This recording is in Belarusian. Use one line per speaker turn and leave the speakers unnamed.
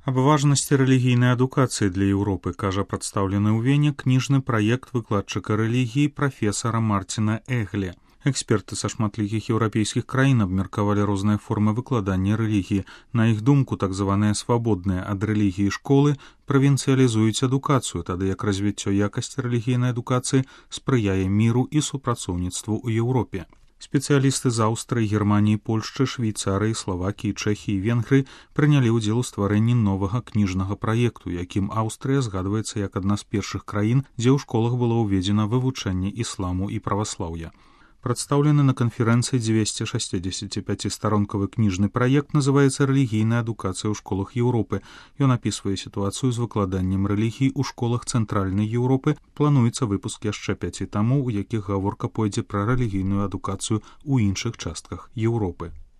Аб важнасці рэлігійнай адукацыі для Еўропы кажа прадстаўлены ў Вене кніжны праект выкладчыка рэлігіі прафесара Марціна Эгле. Эксперты са шматлікіх еўрапейскіх краін абмеркавалі розныя формы выкладання рэлігіі. На іх думку, так званыя свабодныя ад рэлігіі школы правінцыялізуюць адукацыю, тады як развіццё якасці рэлігійнай адукацыі спрыяе міру і супрацоўніцтву ў Еўропе. Спецыялісты з Аўстрыі, Германіі, Польшчы, Швейцарыі, Славакіі, Чэхіі і Венгрыі прынялі ўдзел у стварэнні новага кніжнага праекту, якім Аўстрыя згадваецца як адна з першых краін, дзе ў школах было ўведзена вывучэнне ісламу і праваслаўя. Прадстаўлены на канферэнцыі 265-старонкавы кніжны праект называецца «Рэлігійная адукацыя ў школах Еўропы». Ён апісвае сітуацыю з выкладаннем рэлігій у школах цэнтральнай Еўропы. Плануецца выпуск яшчэ 5 тамоў, у якіх гаворка пойдзе пра рэлігійную адукацыю ў іншых частках Еўропы.